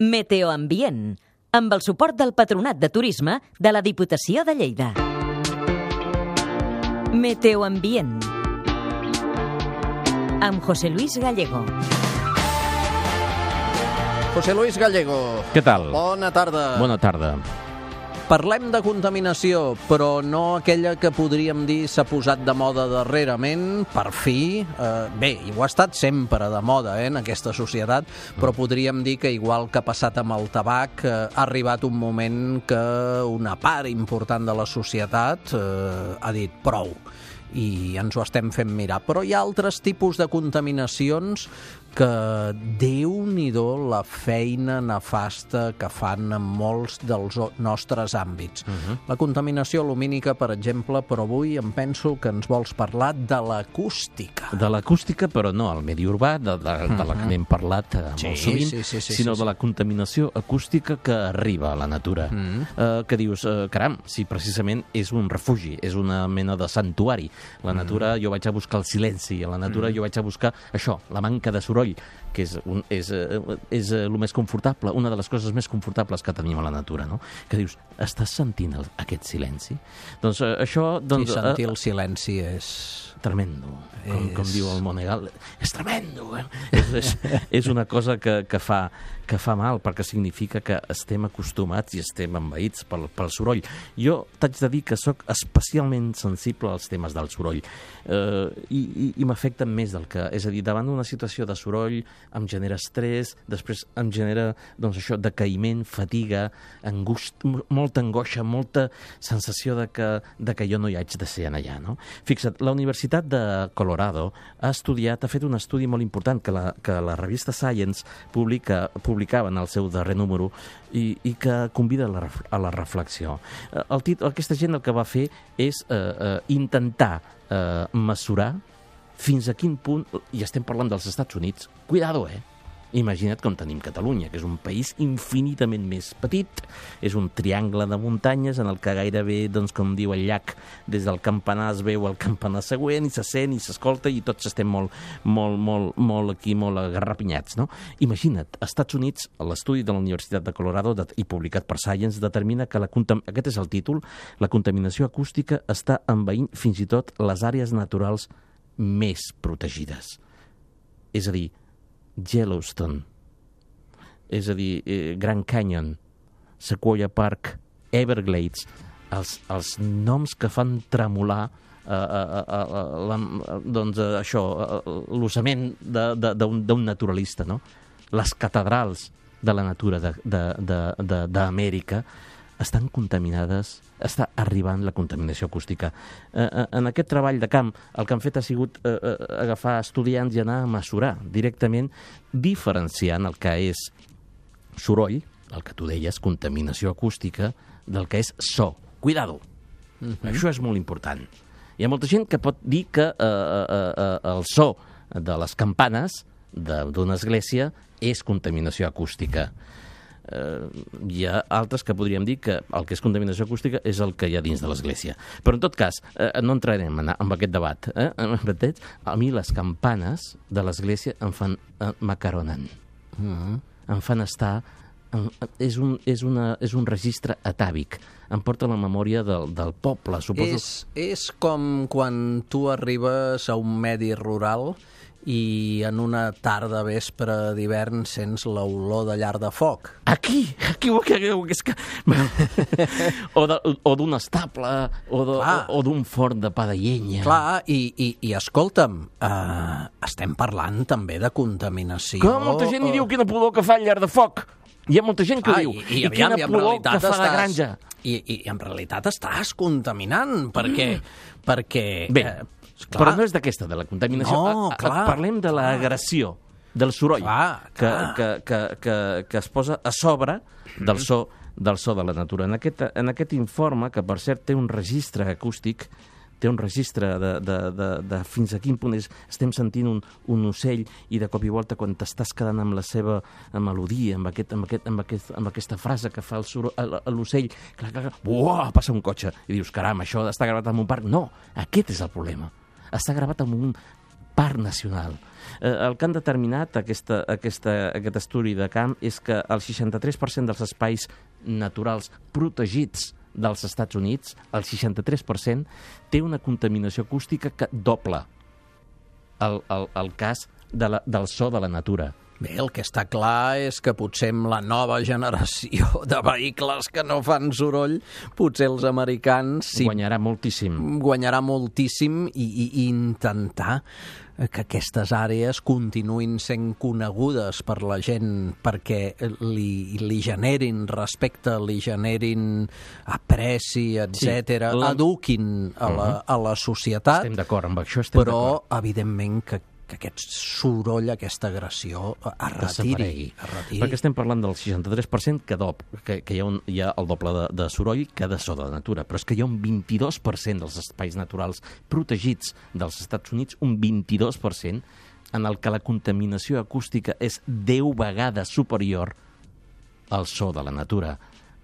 Meteoambient, amb el suport del Patronat de Turisme de la Diputació de Lleida. Meteoambient, amb José Luis Gallego. José Luis Gallego. Què tal? Bona tarda. Bona tarda. Parlem de contaminació, però no aquella que podríem dir s'ha posat de moda darrerament, per fi. Bé, i ho ha estat sempre de moda en aquesta societat, però podríem dir que igual que ha passat amb el tabac, ha arribat un moment que una part important de la societat ha dit prou. I ens ho estem fent mirar. Però hi ha altres tipus de contaminacions que Déu-n'hi-do la feina nefasta que fan en molts dels nostres àmbits. La contaminació lumínica, per exemple, però avui em penso que ens vols parlar de l'acústica. De l'acústica, però no al medi urbà, de la que n'hem parlat molt sovint, sinó de la contaminació acústica que arriba a la natura. Que dius, caram, si precisament és un refugi, és una mena de santuari. La natura, jo vaig a buscar el silenci, a la natura jo vaig a buscar això, la manca de soroll, que és el més confortable, una de les coses més confortables que tenim a la natura, no? Que dius, estàs sentint aquest silenci? Doncs això... I sentir el silenci és... Tremendo, com diu el Monegal. És tremendo, eh? És una cosa que fa mal, perquè significa que estem acostumats i estem envaïts pel soroll. Jo t'haig de dir que sóc especialment sensible als temes del soroll i m'afecten més del que... És a dir, davant d'una situació de soroll em genera estrès, després em genera, doncs això, decaïment, fatiga, molta angoixa, molta sensació de que jo no hi haig de ser allà, no? Fixa't, la Universitat de Colorado ha fet un estudi molt important que la revista Science publicava en el seu darrer número i que convida a la reflexió. Aquesta gent el que va fer és intentar mesurar fins a quin punt, i estem parlant dels Estats Units, cuidado, Imagina't com tenim Catalunya, que és un país infinitament més petit, és un triangle de muntanyes en el que gairebé, doncs, com diu el llac, des del campanar es veu el campanar següent, i se sent i s'escolta, i tots estem molt agarrapinyats, no? Imagina't, Estats Units, l'estudi de la Universitat de Colorado, i publicat per Science, determina que aquest és el títol, la contaminació acústica està envaint fins i tot les àrees naturals més protegides. És a dir, Yellowstone, és a dir, Grand Canyon, Sequoia Park, Everglades, els noms que fan tremolar l'ossament d'un naturalista, no? Les catedrals de la natura d'Amèrica estan contaminades, està arribant la contaminació acústica. En aquest treball de camp, el que han fet ha sigut agafar estudiants i anar a mesurar directament, diferenciant el que és soroll, el que tu deies, contaminació acústica, del que és so. Cuidado! Això és molt important. Hi ha molta gent que pot dir que el so de les campanes d'una església és contaminació acústica. Hi ha altres que podríem dir que el que és contaminació acústica és el que hi ha dins de l'església. Però en tot cas, no entrarem en aquest debat. A mi les campanes de l'església em fan m'acaronen. Em fan estar... És un registre atàvic. Em porta la memòria del poble, suposo. És com quan tu arribes a un medi rural i en una tarda vespre d'hivern sents l'olor de llar de foc. Aquí és que... o d'un estable, o d'un forn de pa de llenya. Clar, i escolta'm, estem parlant també de contaminació. Que molta gent hi diu quina pudor que fa el llar de foc. Hi ha molta gent que ho diu. I quina pudor que fa la granja. I en realitat estàs contaminant, perquè... Bé, però no és d'aquesta, de la contaminació. No, clar. Parlem de l'agressió, del soroll, que es posa a sobre del so de la natura. En aquest informe, que per cert té un registre acústic, té un registre de fins a quin punt estem sentint un ocell i de cop i volta quan t'estàs quedant amb la seva melodia, amb aquesta frase que fa l'ocell, passa un cotxe i dius, caram, això està gravat en un parc. No, aquest és el problema. Està gravat en un parc nacional. El que han determinat aquest estudi de camp és que el 63% dels espais naturals protegits dels Estats Units, el 63%, té una contaminació acústica que dobla el cas del so de la natura. Bé, el que està clar és que potser amb la nova generació de vehicles que no fan soroll, potser els americans guanyarà moltíssim i intentar que aquestes àrees continuïn sent conegudes per la gent perquè li generin respecte, li generin apreci, etc., eduquin a la societat. Estem d'acord amb això, però, evidentment, que aquest soroll, aquesta agressió es retiri. Perquè estem parlant del 63% que hi ha el doble de soroll que de so de natura, però és que hi ha un 22% dels espais naturals protegits dels Estats Units, un 22% en el que la contaminació acústica és 10 vegades superior al so de la natura,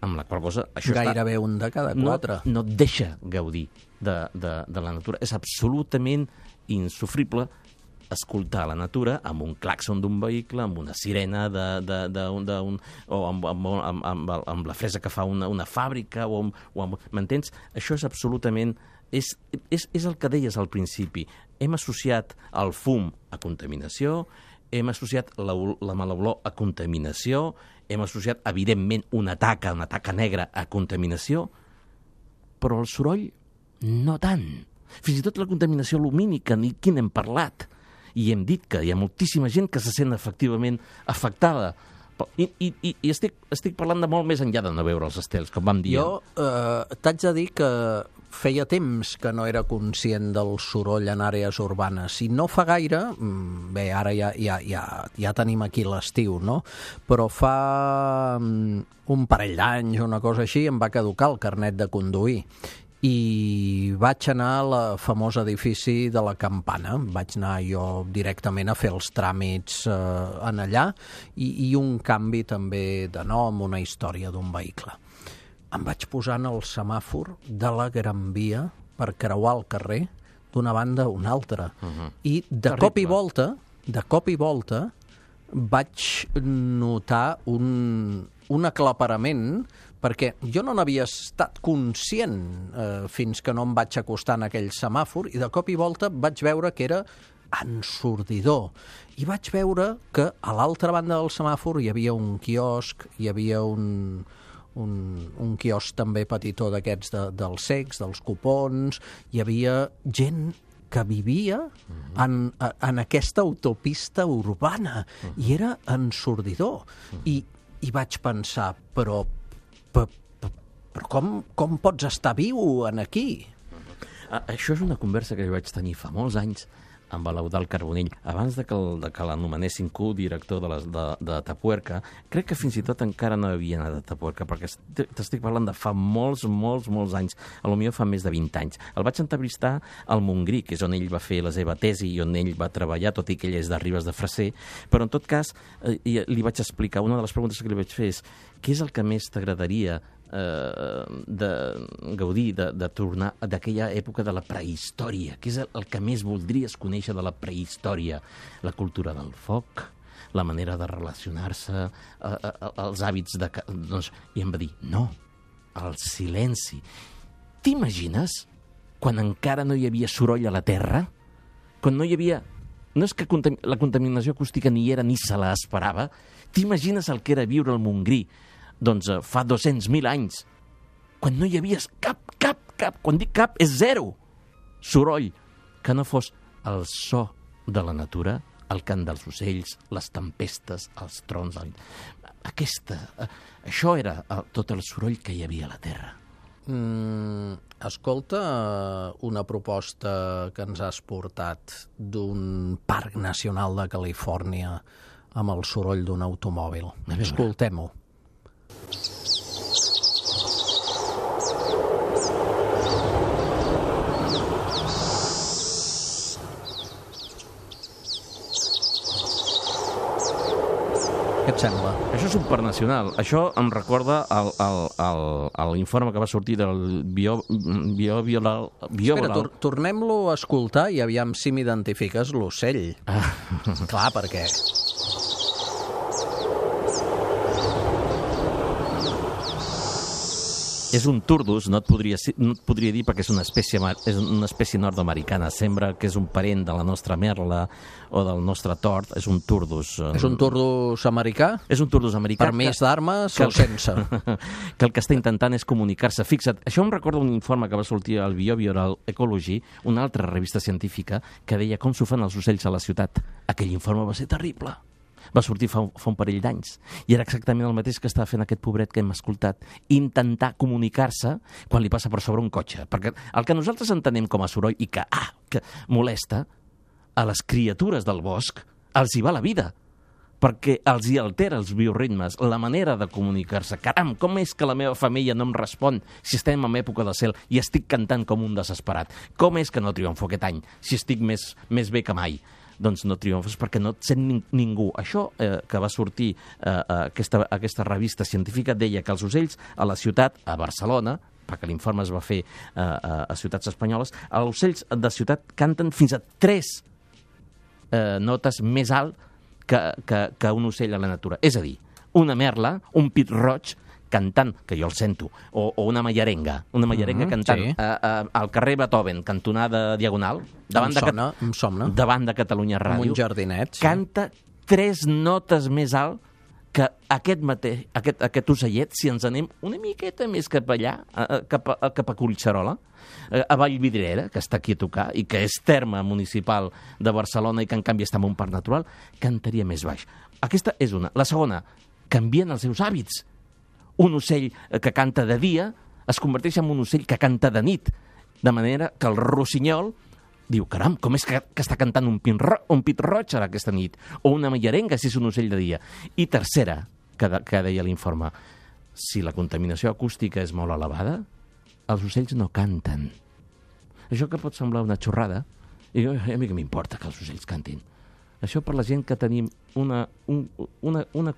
amb la qual cosa això gairebé un de cada 4. No et deixa gaudir de la natura. És absolutament insofrible escoltar la natura amb un clàxon d'un vehicle, amb una sirena o amb la fresa que fa una fàbrica, m'entens? Això és absolutament... És el que deies al principi. Hem associat el fum a contaminació, hem associat la mala olor a contaminació, hem associat, evidentment, una taca negra a contaminació, però el soroll no tant. Fins i tot la contaminació lumínica, ni qui n'hem parlat. I hem dit que hi ha moltíssima gent que se sent efectivament afectada. I estic parlant de molt més enllà de no veure els estels, com vam dir. Jo t'haig de dir que feia temps que no era conscient del soroll en àrees urbanes. I no fa gaire, bé, ara ja tenim aquí l'estiu, no? Però fa un parell d'anys, una cosa així, em va caducar el carnet de conduir. I vaig anar al famós edifici de la Campana. Vaig anar jo directament a fer els tràmits en allà i un canvi també de nom, una història d'un vehicle. Em vaig posar en el semàfor de la Gran Via per creuar el carrer d'una banda a una altra. I de cop i volta vaig notar un aclaparament perquè jo no n'havia estat conscient fins que no em vaig acostar en aquell semàfor i de cop i volta vaig veure que era ensordidor. I vaig veure que a l'altra banda del semàfor hi havia un quiosc, hi havia un quiosc també petitó d'aquests dels cecs, dels cupons, hi havia gent que vivia en aquesta autopista urbana i era ensordidor. I vaig pensar, però com pots estar viu en aquí? Això és una conversa que jo vaig tenir fa molts anys amb l'Eudald Carbonell, abans de que l'anomenessin co-director de Tapuerca. Crec que fins i tot encara no havia anat a Tapuerca, perquè t'estic parlant de fa molts anys, potser fa més de 20 anys. El vaig entrevistar al Montgrí, que és on ell va fer la seva tesi i on ell va treballar, tot i que ell és de Ribes de Freser, però en tot cas li vaig explicar, una de les preguntes que li vaig fer és què és el que més t'agradaria de gaudir, de tornar d'aquella època de la prehistòria? Què és el que més voldries conèixer de la prehistòria? La cultura del foc, la manera de relacionar-se, els hàbits de... I em va dir, no, el silenci. T'imagines quan encara no hi havia soroll a la Terra? Quan no hi havia... No és que la contaminació acústica ni era ni se la esperava. T'imagines el que era viure al Montgrí fa 200.000 anys, quan no hi havia cap, quan dic cap, és zero soroll, que no fos el so de la natura, el cant dels ocells, les tempestes, els trons. Això era tot el soroll que hi havia a la Terra. Escolta una proposta que ens has portat d'un parc nacional de Califòrnia amb el soroll d'un automòbil. Escoltem-ho. Aquest et sembla? Això és supernacional. Això em recorda l'informe que va sortir del Espera, tornem-lo a escoltar i aviam si m'identifiques l'ocell. Clar, perquè... És un turdus, no et podria dir perquè és una espècie nord-americana. Sembla que és un parent de la nostra merla o del nostre tord. És un turdus. És un turdus americà? És un turdus americà. Permís d'armes o sense? Que el que està intentant és comunicar-se. Fixa't, això em recorda un informe que va sortir al Behavioral Ecology, una altra revista científica, que deia com s'ho fan els ocells a la ciutat. Aquell informe va ser terrible. Va sortir fa un parell d'anys. I era exactament el mateix que estava fent aquest pobret que hem escoltat. Intentar comunicar-se quan li passa per sobre un cotxe. Perquè el que nosaltres entenem com a soroll i que molesta, a les criatures del bosc els hi va la vida. Perquè els hi altera els bioritmes, la manera de comunicar-se. Caram, com és que la meva família no em respon si estem en època de cel i estic cantant com un desesperat? Com és que no triomfo aquest any si estic més bé que mai? Doncs no triomfes perquè no et sent ningú. Això que va sortir aquesta revista científica deia que els ocells a la ciutat, a Barcelona, perquè l'informe es va fer a ciutats espanyoles, els ocells de ciutat canten fins a 3 notes més alt que un ocell a la natura. És a dir, una merla, un pit roig, cantant, que jo el sento, o una mallarenga cantant sí. Al carrer Beethoven, cantonada Diagonal, em somna. Davant de Catalunya Ràdio, amb un jardinet, sí. Canta 3 notes més alt que aquest ocellet, si ens anem una miqueta més cap allà, cap a Collserola, a Vallvidrera, que està aquí a tocar, i que és terme municipal de Barcelona i que en canvi està en un parc natural, cantaria més baix. Aquesta és una. La segona, canvien els seus hàbits. Un ocell que canta de dia es converteix en un ocell que canta de nit, de manera que el rossinyol diu, caram, com és que està cantant un pit roig ara aquesta nit? O una mallarenga, si és un ocell de dia. I tercera, que deia l'informe, si la contaminació acústica és molt elevada, els ocells no canten. Això que pot semblar una xorrada, i a mi que m'importa que els ocells cantin. Això per la gent que tenim una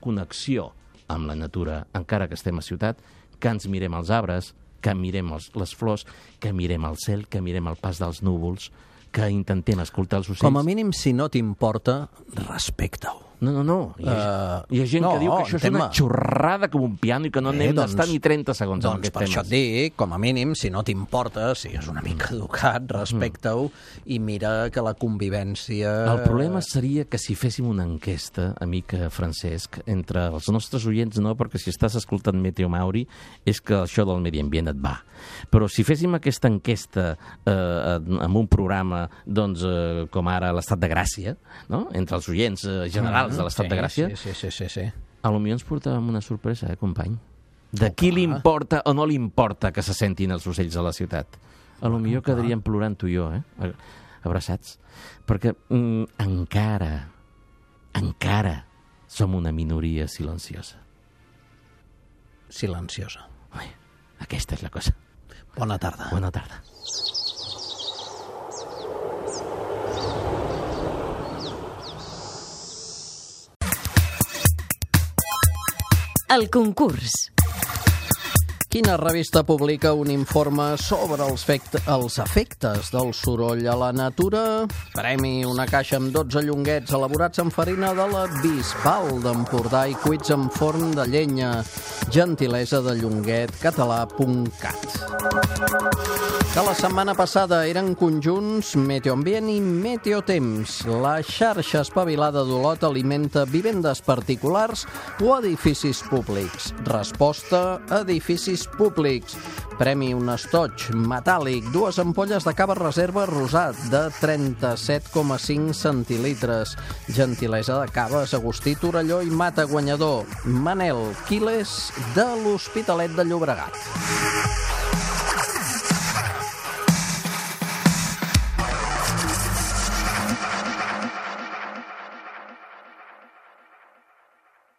connexió amb la natura, encara que estem a ciutat, que ens mirem els arbres, que mirem les flors, que mirem el cel, que mirem el pas dels núvols, que intentem escoltar els ocells. Com a mínim, si no t'importa, respecta-ho. No. Hi ha gent que diu que això és una xorrada com un piano i que no n'hem d'estar ni 30 segons en aquest tema. Per això et dic, com a mínim, si no t'importa, sigues una mica educat, respecta-ho i mira que la convivència... El problema seria que si féssim una enquesta, amic Francesc, entre els nostres oients, no, perquè si estàs escoltant Meteo Mauri és que això del medi ambient et va. Però si féssim aquesta enquesta en un programa, doncs, com ara l'Estat de Gràcia, no?, entre els oients generals de l'Estat de Gràcia, sí. A lo millor ens portàvem una sorpresa, company? De qui li importa o no li importa que se sentin els ocells a la ciutat? A lo millor quedaríem plorant tu i jo, abraçats. Perquè encara som una minoria silenciosa. Silenciosa. Aquesta és la cosa. Bona tarda. Bona tarda. El concurs. Quina revista publica un informe sobre els efectes del soroll a la natura? Premi una caixa amb 12 llonguets elaborats amb farina de la Bisbal d'Empordà i cuits en forn de llenya. Gentilesa de llonguetcatalà.cat. Que la setmana passada eren conjunts Meteoambient i Meteotemps. La xarxa espavilada d'Olot alimenta vivendes particulars o edificis públics. Resposta: edificis públics. Premi un estoig metàl·lic, 2 ampolles de cava reserva rosat de 37,5 centilitres. Gentilesa de Caves, Agustí Torelló i Mata guanyador. Manel Quiles de l'Hospitalet de Llobregat.